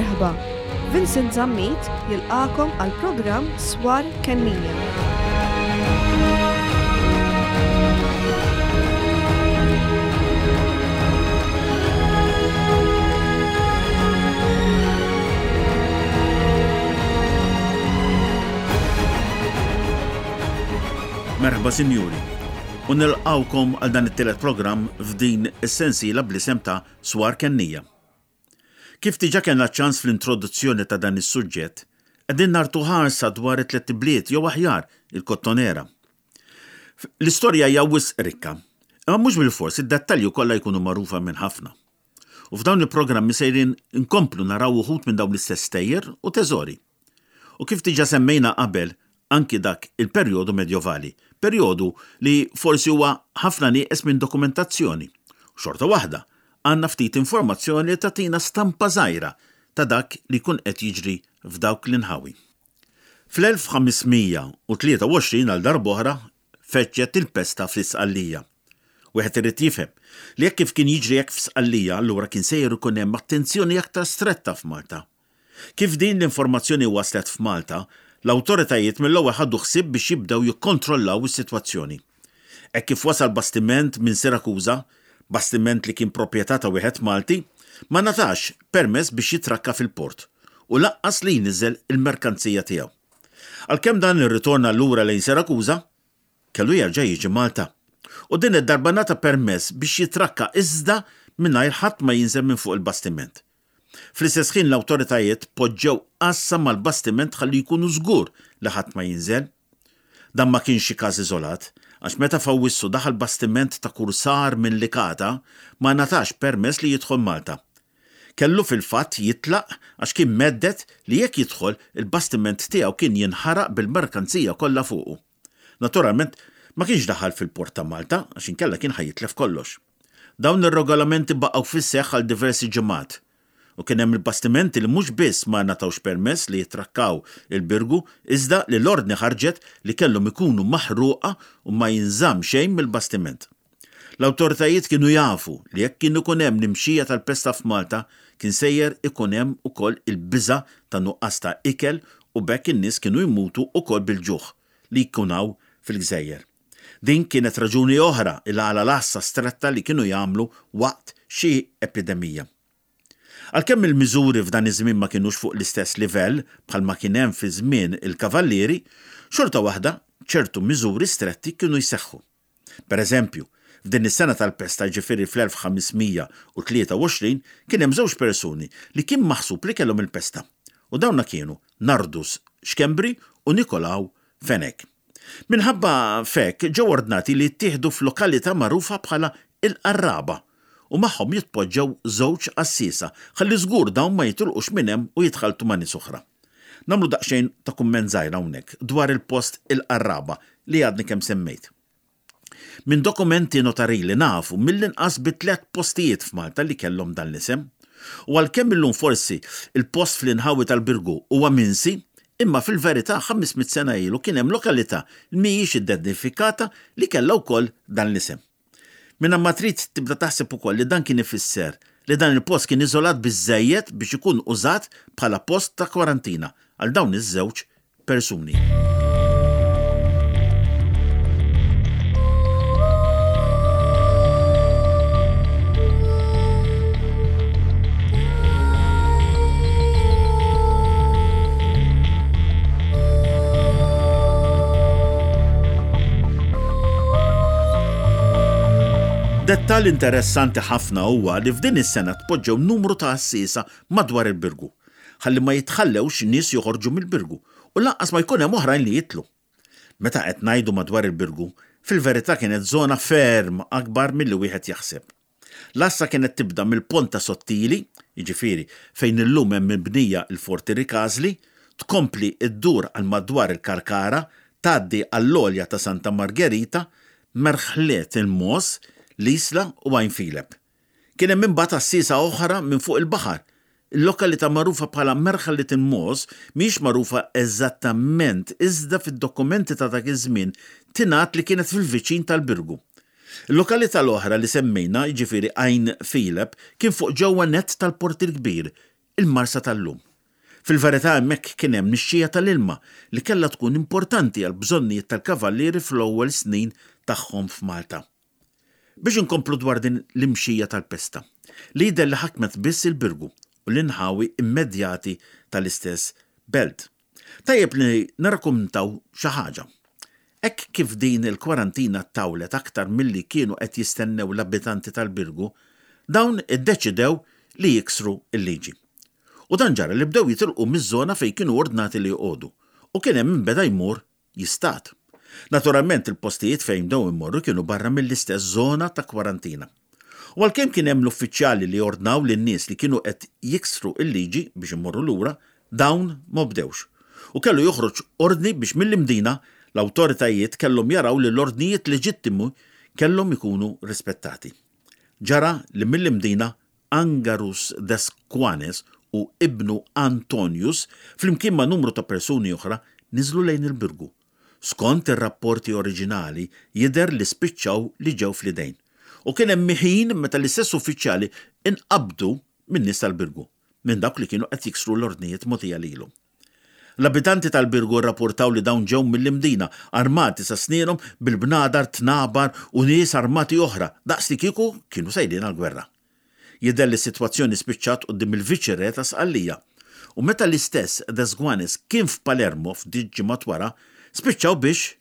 Merħba, Vincent Zammit jilqagħkom għall-programm Swar Kennija. Merħba sinjuri, u nilqgħukom għal dan it-tielet programm f'din is-sensiela bl-isem ta' Swar Kennija. Kif diġà kellna ċ-ċans fl-introduzzjoni ta' dan is-suġġett, qegħdin nagħtu ħarsa dwar it-tlett ibliet jew aħjar, il-Kottonera. L-istorja hija wisq rikka, imma mhux bilfors id-dettalji kollha jkunu magħrufa minn ħafna. U f'dawn il-programmi sejrin inkomplu naraw uħud minn dawn l-istess stejjer u teżori. U kif diġà semmejna qabel, anki dak il-perjodu medjovali, perjodu li forsi huwa ħafna nieqes minn dokumentazzjoni. U xorta waħda, għandna ftit informazzjoni li tagħtina stampa żgħira ta' dak li jkun qed jiġri f'dawk l-inħawi. Fl-1523 għal darb'oħra feġġet il-pesta fl-Isqallija. Wieħed irid jifhem li hekk kif kien jiġri hekk f'Sqallija allura kien sejjer ikun hemm attenzjoni aktar stretta f'Malta. Kif din l-informazzjoni waslet f'Malta, l-awtoritajiet mill-ewwel ħadu ħsieb biex jibdew jikkontrollaw is-sitwazzjoni. Hekk kif wasal bastiment minn Sirakuża, bastiment li kien proprjetà ta' wieħed Malti, ma ngħatax permess biex jitrakka fil-port u lanqas li jniżżel il-merkanzija tiegħu. Għalkemm dan irritorna lura lejn Sirakuża, kellu jerġa' jiġi Malta. U din id-darba ngħata permess biex jitrakka iżda mingħajr ħadd ma jinżel minn fuq il-bastiment. Fl-istess ħin l-awtoritajiet poġġew għassa mal-bastiment ħalli jkunu żgur li ħadd ma jinżel. Dan ma kienx xi każ iżolat, għax meta f'Awwissu daħal bastiment ta' kursar minn Licata ma ngħatax permess li jidħol Malta. Kellu fil-fatt jitlaq għax kien mhedded li jekk jidħol, il-bastiment tiegħu kien jinħaraq bil-merkanzija kollha fuqu. Naturalment, ma kienx daħal fil-port ta' Malta għax inkella kien ħa jitlef kollox. Dawn ir-regolamenti baqgħu fis-seħħ għal diversi ġimgħat u kien hemm il-bastimenti li mhux biss ma ngħatawx permess li jittrakkaw il-Birgu iżda li l-ordni ħarġet li kellhom ikunu maħruqa u ma jinżamm xejn mill-bastiment. L-awtoritajiet kienu jafu li jekk kien ikun hemm l-imxija tal-pesta f'Malta kien sejjer ikun hemm ukoll il-biża' ta' nuqqas ta' ikel u b'hekk in-nies kienu jmutu ukoll bil-ġuħ li jkun hawn fil-gżejjer. Din kienet raġuni oħra il-għala l-għassa stretta li kienu jagħmlu waqt xi epidemija. Għalkemm il-miżuri f'dan iż-żmien ma kinux fuq l-istess livell bħal ma kien hemm fi żmien il-Kavallieri, xorta waħda ċertu miżuri stretti kienu jseħħu. Per eżempju, f'din is-sena tal-pesta jiġifieri fl-1523 kien hemm żewġ persuni li kien maħsub li kellhom il-pesta u dawna kienu Nardus Schembri u Nikolaw Fenech. Minħabba f'hekk ġew ordnati li jittieħdu f'lokalità magħrufa bħala il-Qarraba u magħhom jitpoġġew żewġ għassiesa ħalli żgur dawn ma jitilqux minn hemm u jitħalltu ma' nies oħra. Nagħmlu daqsxejn ta' kumment żgħir hawnhekk dwar il-post il-Qarraba li għadni kemm semmejt. Minn dokumenti notarili nafu mill-inqas bi tlett postijiet f'Malta li kellhom dan l-isem. U għalkemm illum forsi l-post fl-inħawi tal-Birgu huwa minsi, imma fil-verità 500 sena ilu kien hemm lokalità li mhijiex identifikata li kellha wkoll dan l-isem. Mingħajr ma trid tibda taħseb ukoll li dan kien ifisser li dan il-post kien iżolat biżżejjed biex ikun użat bħala post ta' kwarantina għal dawn iż-żewġ persuni. Dettall interessanti ħafna huwa li f'din is-sena tpoġġew numru ta' għassiesa madwar il-Birgu, ħalli ma jitħallewx nies joħorġu mill-Birgu u lanqas ma jkun hemm oħrajn li jidħlu. Meta qed ngħidu madwar il-Birgu, fil-verità kienet żona ferm akbar milli wieħed jaħseb. L-għassa kienet tibda mill-Ponta Sottili, jiġifieri fejn illum hemm mibnija l-Forti Ricasli, tkompli ddur għal madwar il-Karkara, tgħaddi għall-għolja ta' Santa Margherita, Merħliet il-Mogħoż, l-Isla u Għajn Filep. Kien hemm imbagħad għassiesa oħra minn fuq il-baħar. Il-lokalità magħrufa bħala Merħliet il-Mogħoż mhijiex magħrufa eżattament iżda fid-dokumenti ta' dak iż-żmien tingħad li kienet fil-viċin tal-Birgu. Il-lokalità l-oħra li semmejna, jiġifieri Għajn Filep, kien fuq ġewwa nett tal-Port il-Kbir. il-Marsa tal-lum. Fil-verità hemmhekk kien hemm nixxija tal-ilma li kellha tkun importanti għall-bżonnijiet tal-Kavallieri fl-ewwel snin tagħhom f'Malta. Biex inkomplu dwar din l-imxija tal-pesta, li jidher li ħakmet biss il-Birgu u l-inħawi immedjati tal-istess belt. Tajjeb li nirrakuntaw xi ħaġa. Hekk kif din il-kwarantina ttawlet aktar milli kienu qed jistennew l-abitanti tal-Birgu, dawn iddeċidew li jiksru l-liġi. U dan ġara li bdew jitilqu miż-żona fejn kienu ordnati li joqogħdu, u kien hemm min beda jmur jistad. Naturalment il-postijiet fejn bdew imorru kienu barra mill-istess żona ta' kwarantina. U għalkemm kien hemm l-uffiċjali li ordnaw lin-nies li kienu qed jiksru l-liġi biex imorru lura, dawn m'obdewx. U kellu joħroġ ordni biex mill-Imdina l-awtoritajiet kellhom jaraw li l-ordnijiet leġittimi kellhom ikunu rispettati. Ġara li mill-Imdina Angarus Desquanes u ibnu Antonius, flimkien ma' numru ta' persuni oħra, niżlu lejn il-Birgu. Skont ir-rapporti oriġinali, jidher li spiċċaw li ġew fl-idejn. U kien hemm ħin meta l-istess uffiċjali nqabdu min-nies tal-Birgu, minn dawk li kienu qed jiksru l-ordnijiet mogħtija lilhom. L-abitanti tal-Birgu rrapportaw li dawn ġew mill-Imdina, armati sa snienhom bil-bnadar, tnabar u nies armati oħra, daqs li kieku kienu sejrin għall-gwerra. Jidher li s-sitwazzjoni spiċċat quddiem il-Viċi Re ta' Sqallija. U meta l-istess Desguanes kien f'Palermo ftit ġimgħat wara, spiċċaw biex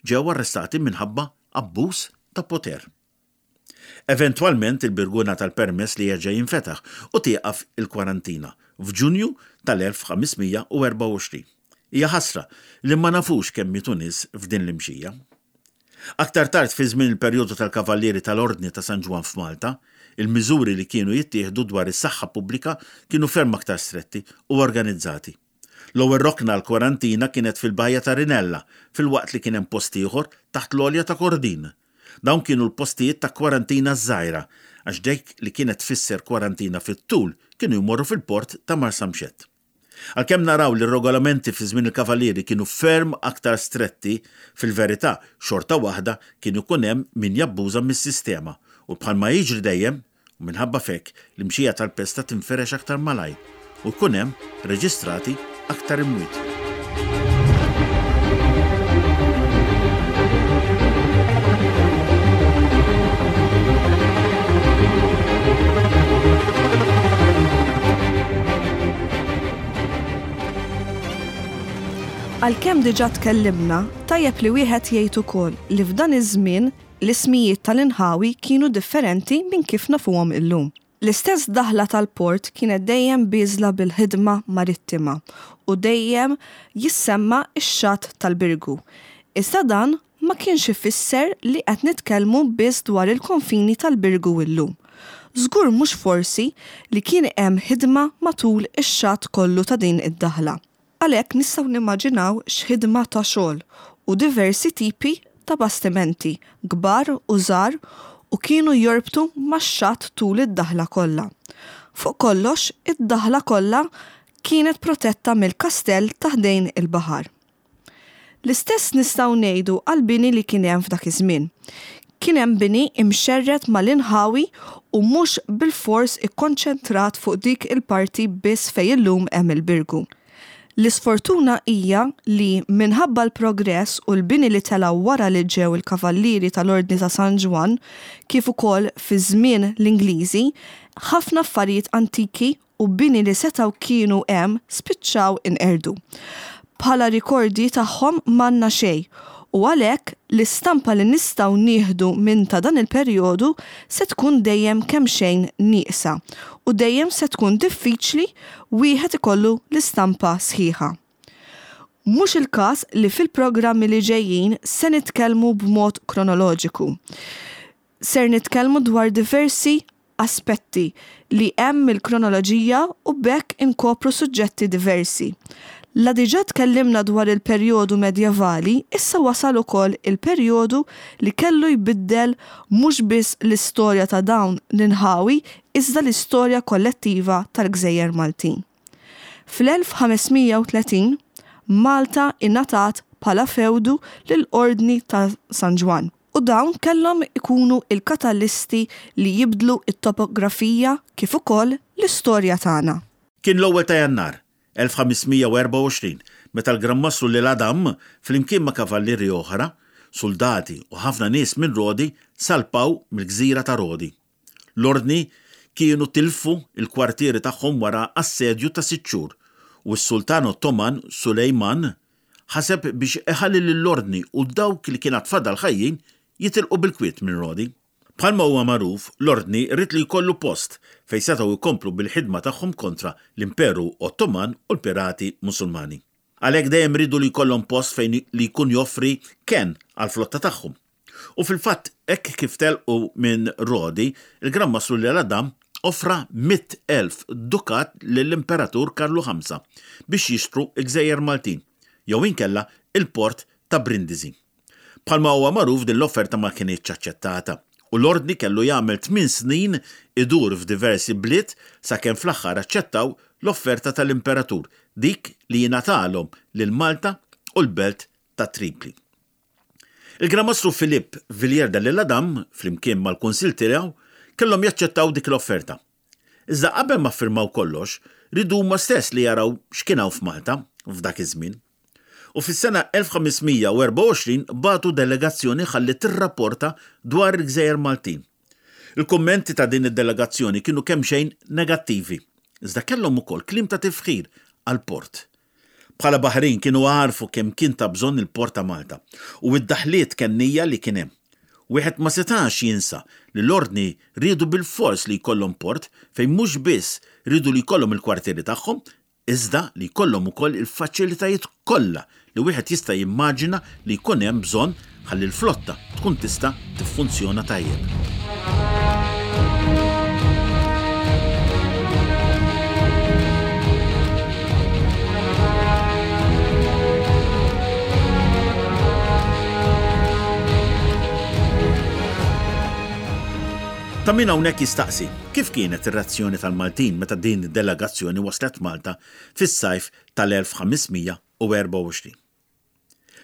ġew arrestati minħabba abbuż ta' poter. Eventwalment il-Birgu ngħata l-permess li jerġa' jinfetaħ u tieqaf il-kwarantina f'Ġunju tal-1524. Hija ħasra li ma nafux kemm mietu nies f'din l-imxija. Aktar tard fi żmien il-perjodu tal-Kavallieri tal-Ordni ta' San Ġwann f'Malta, il-miżuri li kienu jittieħdu dwar is-saħħa pubblika kienu ferm aktar stretti u organizzati. L-ewwel rokna għall-kwarantina kienet fil-Bajja ta' Rinella filwaqt li kien hemm post ieħor taħt l-għolja ta' Kordin. Dawn kienu l-postijiet ta' kwarantina ż-żgħira, għax dik li kienet tfisser kwarantina fit-tul kienu jmorru fil-port ta' Marsamxett. Għalkemm naraw li r-regolamenti fi żmien il-Kavallieri kienu ferm aktar stretti, fil-verità xorta waħda kien ikun hemm min jabbuża mis-sistema u bħalma jiġri dejjem, u minħabba f'hekk l-imxija tal-pesta tinfirex aktar malajr u jkun hemm reġistrati aktar imwiet. Għalkemm diġà tkellimna, tajjeb li wieħed jgħid ukoll li f'dan iż-żmien L-ismijiet tal-inħawi kienu differenti minn kif nafuhom illum. L-istess daħla tal-port kienet dejjem bieżla bil-ħidma marittima u dejjem jissemma x-xatt tal-Birgu. Iżda dan ma kienx ifisser li qed nitkellmu biss dwar il-konfini tal-Birgu illum. Żgur mhux forsi li kien hemm ħidma matul ix-xatt kollu ta' din id-daħla. Għalhekk nistgħu nimmaġinaw x'ħidma ta' xogħol u diversi tipi ta' bastimenti, kbar u żgħar u kienu jorbtu max-xatt tul id-daħla kollha. Fuq kollox, id-daħla kollha kienet protetta mill-kastell ta' ħdejn il-baħar. L-istess nistgħu ngħidu għall-bini li kien hemm f'dak iż-żmien. Kien hemm bini imxerred mal-inħawi u mhux bilfors ikkonċentrat fuq dik il-parti biss fejn illum hemm il-Birgu. L-isfortuna hija li minħabba l-progress u l-bini li telgħu wara li ġew il-Kavallieri tal-Ordni ta' San Ġwann kif ukoll fi żmien l-Ingliżi, ħafna affarijiet antiki u bini li setgħu kienu hemm spiċċaw inqerdu. Bħala rikordji tagħhom m'għandna xejn u għalhekk l-istampa li nistgħu nieħdu minn ta' dan il-perjodu se tkun dejjem kemxejn nieqsa u dejjem se tkun diffiċli wieħed ikollu l-istampa sħiħa. Mhux il-każ li fil-programmi li ġejjin se nitkellmu b'mod kronoloġiku. Ser nitkellmu dwar diversi aspetti li hemm mill-kronoloġija u b'hekk inkopru suġġetti diversi. La diġà tkellimna dwar il-perjodu medjevali, issa wasal ukoll il-perjodu li kellu jbiddel mhux biss l-istorja ta' dawn l-inħawi iżda l-istorja kollettiva tal-gżejjer Maltin. Fl-1530, Malta ingħatat bħala fewdu lill-Ordni ta' San Ġwann u dawn kellhom ikunu l-katalisti li jibdlu t-topografija kif ukoll l-istorja tagħna. Kien l-ewwel ta' Jannar, 1524, meta l-Gran Mastru L'Isle-Adam, flimkien ma' kavallieri oħra, suldati u ħafna nies minn Rodi salpaw mill-gżira ta' Rodi. L-Ordni kienu tilfu l-kwartieri tagħhom wara assedju ta' sitt xhur u s-Sultan Ottoman Sulejman ħaseb biex iħalli lill-Ordni u dawk li kien għad fadal ħajjin jitilqu bil-kwiet minn Rodi. Bħalma huwa magħruf, l-Ordni ried li jkollu post fejn setgħu jkomplu bil-ħidma tagħhom kontra l-Imperu Ottoman u l-pirati Musulmani. Għalhekk dejjem riedu li jkollhom post fejn li jkun joffri kenn għall-flotta tagħhom. U fil-fatt hekk kif telqu minn Rodi, il-Gran Mastru L'Isle-Adam offra 100,000 dukat lill-Imperatur Karlu Ħamsa biex jixtru l-gżejjer Maltin, jew inkella il-port ta' Brindisi. Bħalma huwa magħruf din l-offerta ma kinitx aċċettata u l-Ordni kellu jagħmel tmien snin idur f'diversi bliet sakemm fl-aħħar aċċettaw l-offerta tal-Imperatur, dik li jingħatalhom lil Malta u l-belt ta' Tripli. Il-Gran Mastru Philippe Villiers de l'Isle-Adam, flimkien mal-Kunsill tiegħu, kellhom jaċċettaw dik l-offerta. Iżda qabel ma ffirmaw kollox, riedu huma stess li jaraw x'kien hawn f'Malta f'dak iż-żmien. U fis-sena 1524 bagħtu delegazzjoni ħalli tirrapporta dwar il-gżejjer Maltin. Il-kummenti ta' din id-delegazzjoni kienu kemxejn negattivi, iżda kellhom ukoll kliem ta' tifħir għall-port. Bħala baħrin kienu għarfu kemm kien ta' bżonn il-port ta' Malta u d-daħliet kennija li kien hemm. Wieħed ma setax jinsa li l-Ordni riedu bilfors li jkollhom port fejn mhux biss riedu li jkollhom il-kwartieri tagħhom iżda li jkollhom ukoll il-faċilitajiet kollha li wieħed jista' jimmaġina li jkun hemm bżonn ħalli l-flotta tkun tista' tiffunzjona tajjeb. Ta' min hawnhekk jistaqsi, kif kienet ir-reazzjoni tal-Maltin meta din id-delegazzjoni waslet Malta fis-sajf tal-1524?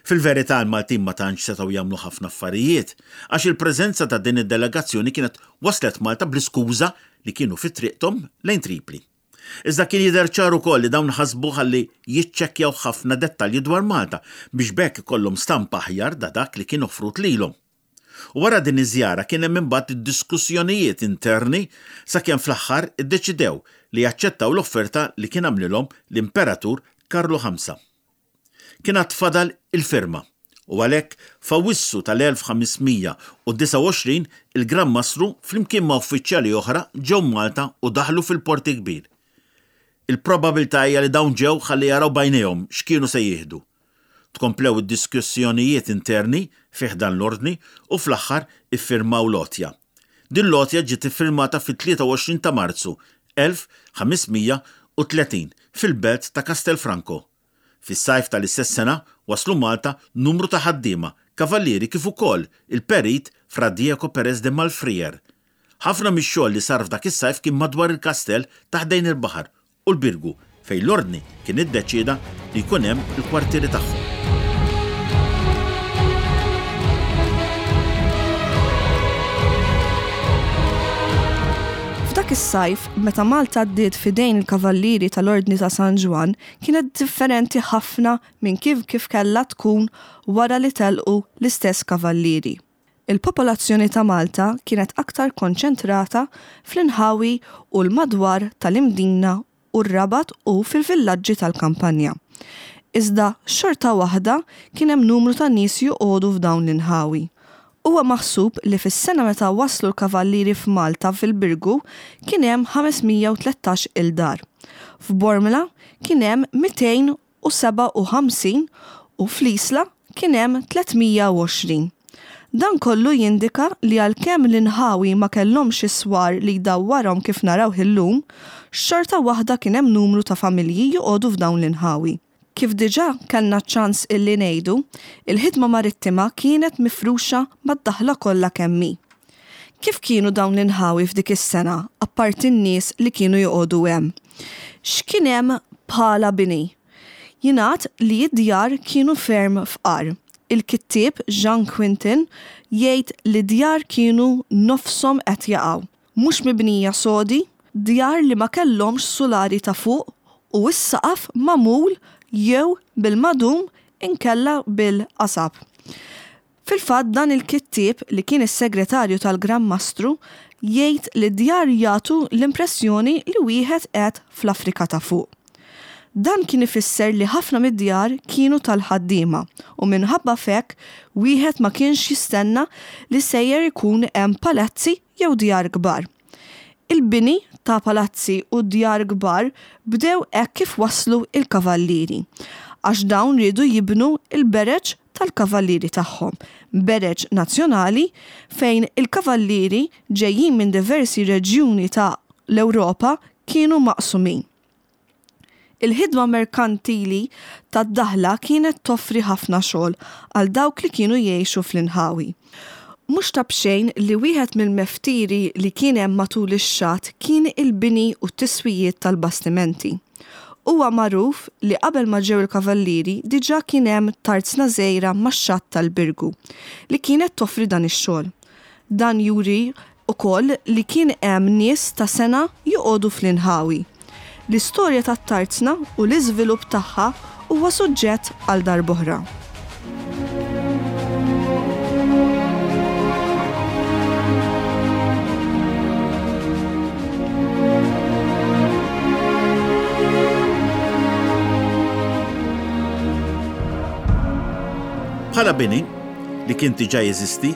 Fil-verità l-Maltin ma tantx setgħu jagħmlu ħafna affarijiet għax il-preżenza ta' din id-delegazzjoni kienet waslet Malta bl-iskuża li kienu fi triqthom lejn Tripli. Iżda kien jidher ċar ukoll li dawn ħasbu ħalli jiċċekkjaw ħafna dettalji dwar Malta biex b'hekk ikollhom stampa aħjar da dak li kien offrut lilhom. U wara din iż-żjara kien hemm imbagħad id-diskussjonijiet interni sakemm fl-aħħar iddeċidew li jaċċettaw l-offerta li kien għamlilhom l-Imperatur Karlu Ħamsa. Kien għad fadal il-firma, u għalhekk f'Awwissu tal-1529 il-Gran Mastru flimkien ma' uffiċjali oħra ġew Malta u daħlu fil-Port il-Kbir. Il-probabilità hija li dawn ġew ħalli jaraw b'għajnejhom x'kienu se jieħdu. Tkomplew id-diskussjonijiet interni fi ħdan l-Ordni u fl-aħħar iffirmaw l-għotja. Din l-għotja ġiet iffirmata fit-23 ta' Marzu 1530 fil-belt ta' Castelfranco. Fis-sajf tal-istess sena waslu Malta numru ta' ħaddiema, kavallieri kif ukoll il-perit Fra Diego Perez de Malfrier. Ħafna mix-xogħol li sar f'dak is-sajf kien madwar il-kastell ta' ħdejn il-baħar u l-Birgu fejn l-Ordni kien iddeċieda li jkun hemm il-kwartieri tagħhom. F'dak is-sajf, meta Malta għaddiet f'idejn il-Kavallieri tal-Ordni ta' San Ġwann, kienet differenti ħafna minn kif kif kellha tkun wara li telqu l-istess Kavallieri. Il-popolazzjoni ta' Malta kienet aktar konċentrata fl-inħawi u l-madwar tal-Imdina u r-Rabat u fil-villaġġi tal-kampanja. Iżda xorta waħda kien hemm numru ta' nies joqogħdu f'dawn l-inħawi. Huwa maħsub li fis-sena meta waslu l-Kavallieri f'Malta fil-Birgu kien hemm 513 il dar. F'Bormla kien hemm 257 u fl-Isla kien hemm 320. Dan kollu jindika li għalkemm l-inħawi ma kellhomx is-swar li jdawwarhom kif narawh illum, xorta waħda kien hemm numru ta' familji joqogħdu f'dawn l-inħawi. Kif diġà kellna ċ-ċans illi ngħidu, il-ħidma marittima kienet mifruxa mad-daħla kollha kemm hi. Kif kienu dawn l-inħawi f'dik is-sena apparti n-nies li kienu joqogħdu hemm? X'kien hemm bħala bini? Jingħad li d-djar kienu ferm fqar. Il-kittieb Jean Quintin jgħid li d-djar kienu nofshom qed jaqgħu, mhux mibnija sodi. Djar li ma kellhomx sulari ta' fuq u s-saqaf magħmul jew bil-madum inkella bil-qasab. Fil-fatt dan il-kittieb, li kien is-segretarju tal-Gran Mastru, jgħid li d-djar jagħtu l-impressjoni li wieħed qed fl-Afrika ta' Fuq. Dan kien ifisser li ħafna mid-djar kienu tal-ħaddiema u minħabba f'hekk wieħed ma kienx jistenna li sejjer ikun hemm palazzi jew djar kbar. Il-bini ta' palazzi u djar kbar bdew hekk kif waslu l-kavallieri, għax dawn riedu jibnu l-bereġ tal-kavallieri tagħhom, bereġ nazzjonali fejn il-kavallieri ġejjin minn diversi reġjuni ta' l-Ewropa kienu maqsumin. Il-ħidma merkantili tad-daħla kienet toffri ħafna xogħol għal dawk li kienu jgħixu fl-inħawi. Mhux ta' b'xejn li wieħed mill-meftieri li kien hemm matul ix-xatt kien il-bini u t-tiswijiet tal-bastimenti. Huwa magħruf li qabel ma ġew il-kavallieri diġà kien hemm tarzna żgħira max-xatt tal-Birgu li kienet toffri dan ix-xogħol. Dan juri ukoll li kien hemm nies ta' sengħa joqogħdu fl-inħawi. L-istorja tat-tarzna u l-iżvilupp tagħha huwa suġġett għal darb'oħra. Bħala bini, li kien diġà jeżisti,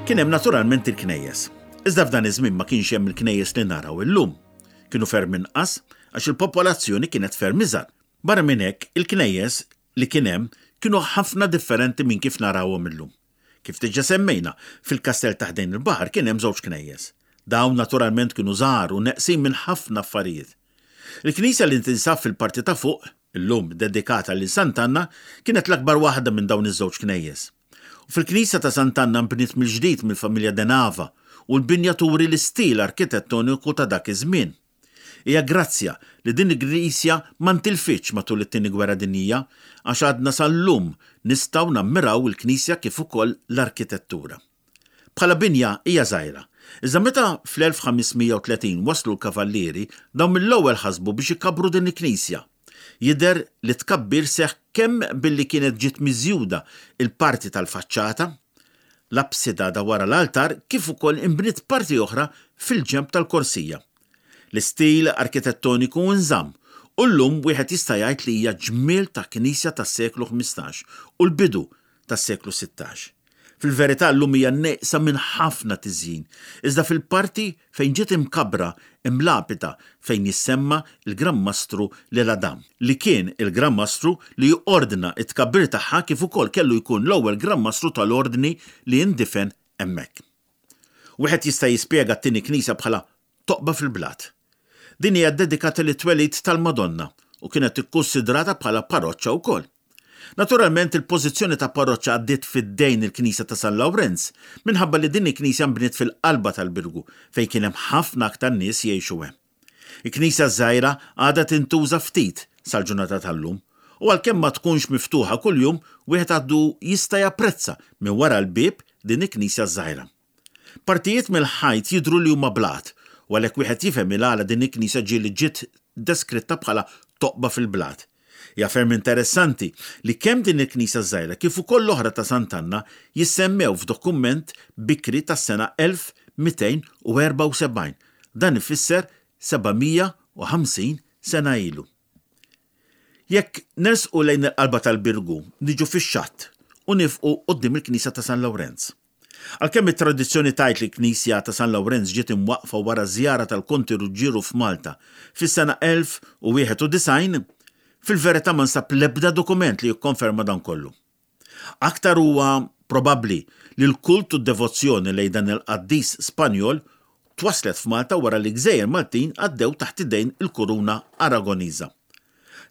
Kien hemm naturalment il-knejjes. Iżda f'dan iż-żmien ma kienx hemm il-knejjes li naraw illum. Kienu ferm inqas għax il-popolazzjoni kienet ferm iżgħar. Barra minn hekk, il-knejjes li kien hemm kienu ħafna differenti minn kif narawhom illum. Kif diġà semmejna, fil-kastell ta' ħdejn il-baħar kien hemm żewġ knejjes. Dawn naturalment kienu żgħar u neqsin minn ħafna affarijiet. Il-knisja li tinsab fil-parti ta' fuq, illum dedikata lil Sant'Anna, kienet l-akbar waħda minn dawn iż-żewġ knejjes. U fil-knisja ta' Sant'Anna nbniet mill-ġdid mill-familja De Nava u l-binja turi l-istil arkitettoniku ta' dak iż-żmien. Hija grazzja li din il-knisja ma ntilfitx matul it-Tieni Gwerra Dinjija għax għadna sal-lum nistgħu nammiraw il-knisja kif ukoll l-arkitettura. Bħala binja hija żgħira. Iżda meta fl-1530 waslu l-Kavallieri, dawn mill-ewwel ħasbu biex ikabbru din il-knisja. Jidher li t-tkabbir seħħ kemm billi kienet ġiet miżjuda l-parti tal-faċċata, l-apsida ta' wara l-altar kif ukoll inbniet parti oħra fil-ġenb tal-korsija. L-istil arkitettoniku nżamm u llum wieħed jista' jgħid li hija ġmiel ta' knisja tas-seklu 15 u l-bidu tas-seklu 16. Fil-verità llum hija nieqsa minn ħafna tiżjin, iżda fil-parti fejn ġiet imkabbra hemm lapida fejn jissemma l-Gran Mastru L'Eladam, li kien il-Gran Mastru li ordna t-tkabbir tagħha kif ukoll kellu jkun l-ewwel Gran Mastru tal-Ordni li indifen hemmhekk. Wieħed jista' jispjega t-tieni knisja bħala toqba fil-blat. Din hija ddedikata lit-twelid tal-Madonna u kienet ikkunsidrata bħala paroċċa wkoll. Naturalment il-pożizzjoni ta' parroċċa għaddiet f'idejn il-knisja ta' San Lawrenz minħabba li din il-knisja nbniet fil-qalba tal-Birgu fejn kien hemm ħafna aktar nies jgħixu hemm. Il-knisja ż-żgħira għadha tintuża ftit sal-ġurnata tal-lum u għalkemm ma tkunx miftuħa kuljum wieħed għadu jista' japprezza minn wara l-bieb din il-knisja ż-żgħira. Partijiet mill-ħajt jidhru li huma blat, u għalhekk wieħed jifhem il-għala din il-knisja ġieli ġiet deskritta bħala toqba fil-blat. Hija ferm interessanti li kemm din il-knisja ż-żgħira kif ukoll l-oħra ta' Sant'Anna jissemmew f'dokument bikri tas-sena 1274, dan ifisser 750 sena ilu. Jekk nersqu lejn il-qalba tal-Birgu, niġu fix-xatt u niefqu quddiem il-knisja ta' San Lawrenz. Għalkemm it-tradizzjoni tgħid li l-knisja ta' San Lawrenz ġiet imwaqqfa wara żjara tal-Konti Ruġġieru f'Malta fis-sena 1091, fil-verità ma nsab l-ebda dokument li jikkonferma dan kollu. Aktar huwa probabbli li l-kult u d-devozzjoni lejn dan il-qaddis Spanjol twasslet f'Malta wara li gżejjer Maltin għaddew taħt idejn il-kuruna Aragoniża.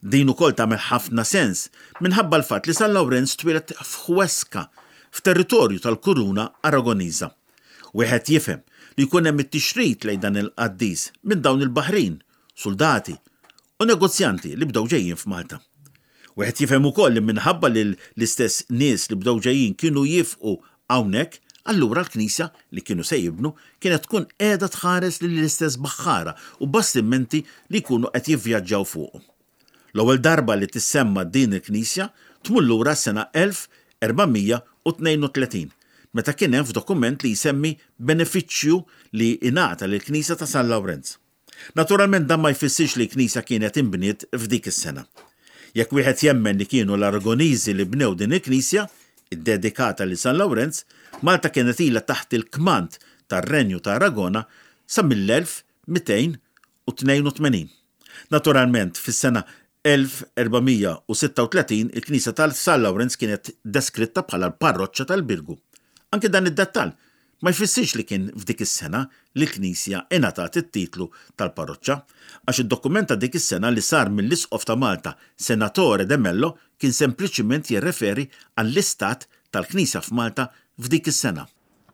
Din ukoll tagħmel ħafna sens minħabba l-fatt li San Lawrenz twieled f'Huesca, f'territorju tal-kuruna Aragoniża. Wieħed jifhem li jkun hemm it-tixrid lejn dan il-qaddis minn dawn il-baħrin, suldati, u negozjanti li bdew ġejjin f'Malta. Wieħed jifhem ukoll li minħabba li l-istess nies li bdew ġejjin kienu jiefqu hawnhekk, Allura l-knisja li kienu se jibnu kienet tkun qiegħda tħares lill-istess baħħara u bastimenti li jkunu qed jivvjaġġaw fuqhom. L-ewwel darba li tissemma din il-knisja tmur lura għas-sena 1432, meta kien hemm f'dokument li jsemmi benefiċċju li ingħata lill-knisja ta' San Lawrenz. Naturalment dan ma jfissirx li l-knisja kienet inbniet f'dik is-sena. Jekk wieħed jemmen li kienu l-Aragoniżi li bnew din il-knisja, iddedikata lil San Lawrenz, Malta kienet ilha taħt il-kmand tar-Renju ta' Aragona sa mill-1282. Naturalment, fis-sena 1436 il-knisja ta' San Lawrenz kienet deskritta bħala l-parroċċa tal-Birgu. Anki dan id-dettall Ma jfissirx li kien f'dik is-sena li l-knisja ingħatat it-titlu tal-parroċċa, għax id-dokument ta' dik is-sena li sar mill-Isqof ta' Malta Senatore de Mello kien sempliċiment jirreferi għall-istat tal-knisja f'Malta f'dik is-sena.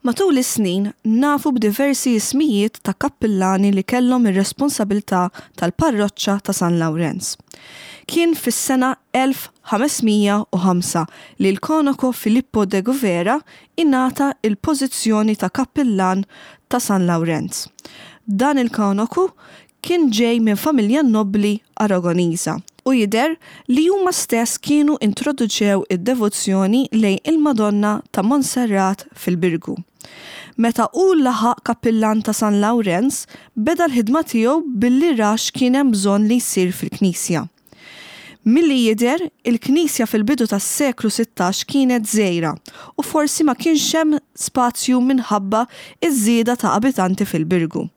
Matul is-snin nafu b'diversi ismijiet ta' kappillani li kellhom ir-responsabilità tal-parroċċa ta' San Lawrenz. Kien fis-sena 1505 li l-Konoco Filippo de Guvera ingħata l-pożizzjoni ta' kappillan ta' San Lawrenz. Dan il-kanoku kien ġej minn familja nobbli Aragoniża u jidher li huma stess kienu introduċew id-devozzjoni lejn il-Madonna ta' Monserrat fil-Birgu. Meta hu laħaq kappillan ta' San Lawrenz, beda l-ħidma tiegħu billi ra x'kien hemm bżonn li jsir fil-knisja. Milli jidher, il-knisja fil-bidu tas-seklu 16 kienet żgħira u forsi ma kienx hemm spazju minħabba ż-żieda ta' abitanti fil-Birgu.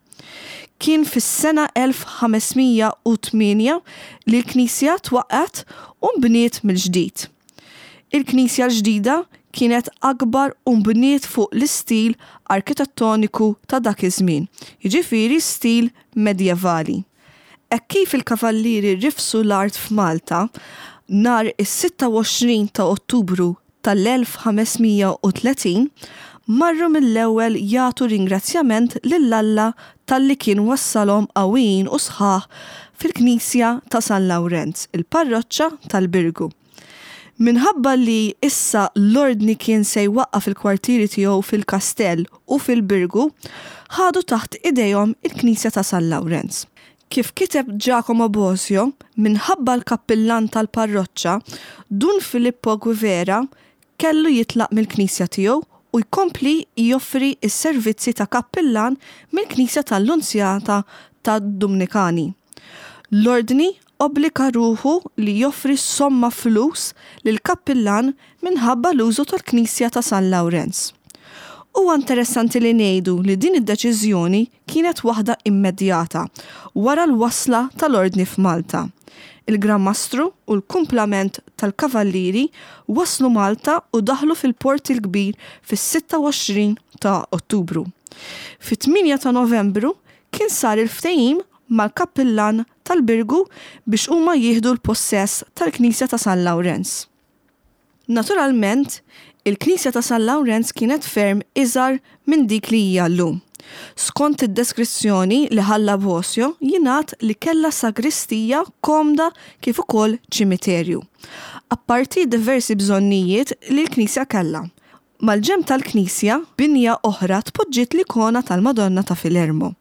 Kien fis-sena 1508 li l-knisja twaqqgħet u nbniet mill-ġdid. Il-knisja l-ġdida kienet akbar u nbniet fuq l-istil arkitettoniku ta' dak iż-żmien, jiġifieri stil medjevali. Hekk kif il-Kavallieri rifsu l-art f'Malta, nhar is-26 ta' Ottubru tal-1530, marru mill-ewwel jagħtu ringrazzjament lil Alla talli kien wassalhom qawwijin u sħaħ fil-knisja ta' San Lawrenz, il-parroċċa tal-Birgu. Minħabba li issa l-Ordni kien se jwaqqaf il-kwartieri tiegħu fil-kastell u fil-Birgu, ħadu taħt idejhom il-knisja ta' San Lawrenz. Kif kiteb Giacomo Bosio, minħabba l-kappillan tal-parroċċa, Dun Filippo Guevera kellu jitlaq mill-knisja tiegħu u jkompli joffri s-servizzi ta' kappillan mill-knisja tal-Lunzjata tad-Dumnikani. L-Ordni obbliga ruħu li joffri somma flus lill-kappillan minħabba l-użu tal-knisja ta' San Lawrenz. Huwa interessanti li ngħidu li din id-deċiżjoni kienet waħda immedjata wara l-wasla tal-Ordni f'Malta. Il-Gran Mastru u l-kumplament tal-Kavallieri waslu Malta u daħlu fil-Port il-Kbir fis-26 ta' Ottubru. Fit-8 ta' Novembru kien sar il-ftehim mal-kappillan tal-Birgu biex huma jieħdu l-pussess tal-knisja ta' San Lawrenz. Naturalment, il-knisja ta' San Lawrenz kienet ferm iżgħar minn dik li hija llum. Skont id-deskrizzjoni li ħalla Bosio jingħad li kellha sagristija komda kif ukoll ċimiterju. Apparti diversi bżonnijiet li l-knisja kellha. Mal-ġenb tal-knisja, binja oħra tpoġġiet l-ikona tal-Madonna ta' Filermo.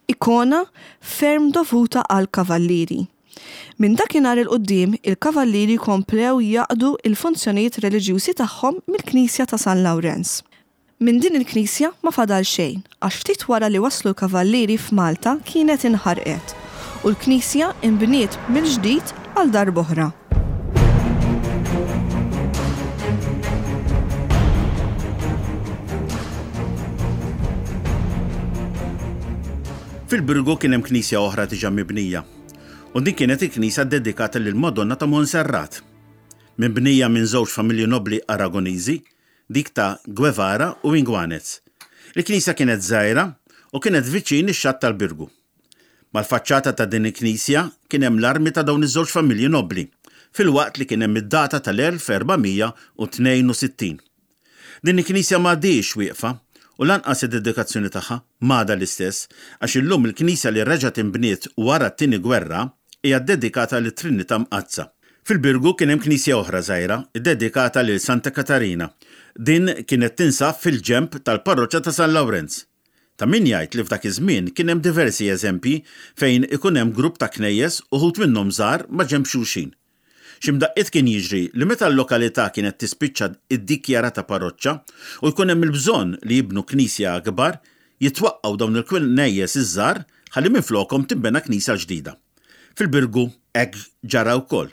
Ikona ferm dovuta għall-Kavallieri. Minn dakinhar 'il quddiem, il-Kavallieri komplew jaqdu l-funzjonijiet reliġjużi tagħhom mill-knisja ta' San Lawrenz. Minn din il-knisja ma fadal xejn għax ftit wara li waslu l-Kavallieri f'Malta kienet inħarqet u l-knisja nbniet mill-ġdid għal darb'oħra. Fil-Birgu kien hemm knisja oħra diġà mibnija, u din kienet il-knisja ddedikata lill-Madonna ta' Monserrat. Mibnija minn żewġ familji nobbli Aragoniżi, dik ta' Guevara u Inguanez. Il-knisja kienet żgħira u kienet viċin ix-xatt tal-Birgu. Mal-faċċata ta' din il-knisja kien hemm l-armi ta' dawn iż-żewġ familji nobbli, filwaqt li kien hemm id-data tal-1462. Din il-knisja m'għadhiex wieqfa u lanqas id-dedikazzjoni tagħha m'għadha l-istess għax illum il-knisja li reġgħet inbniet wara t-Tieni Gwerra hija ddedikata lit-Trinità Mqaddsa. Fil-Birgu kien hemm knisja oħra żgħira ddedikata lil Santa Katarina. Din kienet tinsab fil-ġenb tal-parroċċa ta' San Lawrenz. Ta' min jgħid li f'dak iż-żmien kien hemm diversi eżempji fejn ikun hemm grupp ta' knejjes uħud minnhom żgħar ma' ġenb xulxin. Xi mdaqqiet kien jiġri li meta l-lokalità kienet tispiċċa iddikjarata parroċċa u jkun hemm il-bżonn li jibnu knisja akbar, jitwaqqgħu dawn il-knejjes iż-żgħar ħalli minflokhom tinbena knisja ġdida. Fil-Birgu hekk ġara wkoll.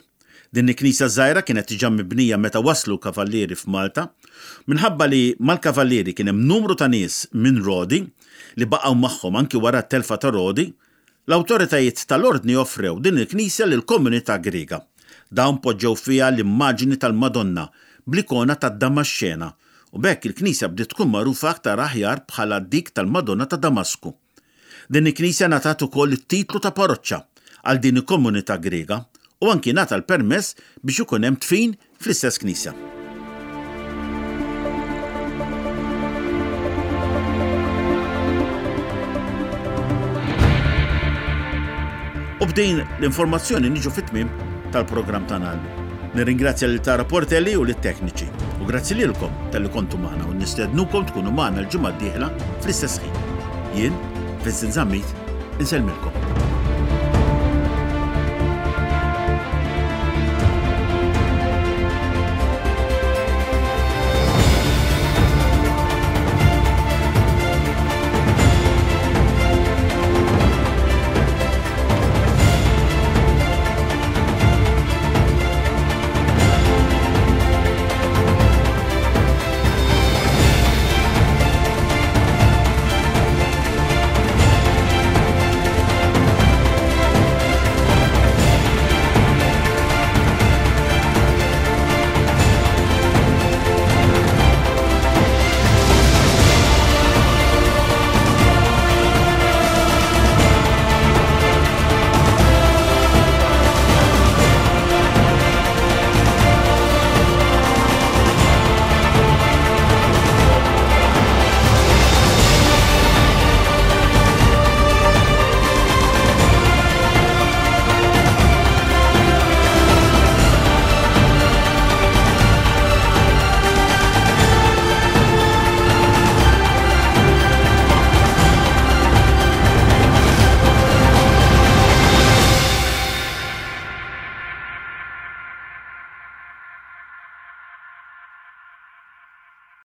Din il-knisja żgħira kienet diġà mibnija meta waslu l-Kavallieri f'Malta. Minħabba li mal-Kavallieri kien hemm numru ta' nies minn Rodi li baqgħu magħhom anki wara t-telfa ta' Rodi, l-awtoritajiet tal-Ordni offrew din il-knisja lill-komunità Griega. Dawn poġġew fiha l-immaġini tal-Madonna bl-ikona tad-Damaxxena u b'hekk il-knisja bdiet tkun magħrufa aktar aħjar bħala dik tal-Madonna ta' Damasku. Din il-knisja ngħatat ukoll it-titlu ta' paroċċa għal din il-komunità Griega u anki ngħata l-permess biex ikun hemm dfin fl-istess knisja. U b'din l-informazzjoni niġu fit-tmiem tal-programm tagħna llum. Nirringrazzja lil Tara Portelli u lit-tekniċi. U grazzi lilkom talli kontu magħna u nistednukom tkunu magħna l-ġimgħa d-dieħla fl-istess ħin. Jien, Vincent Zammit, insellmilkom.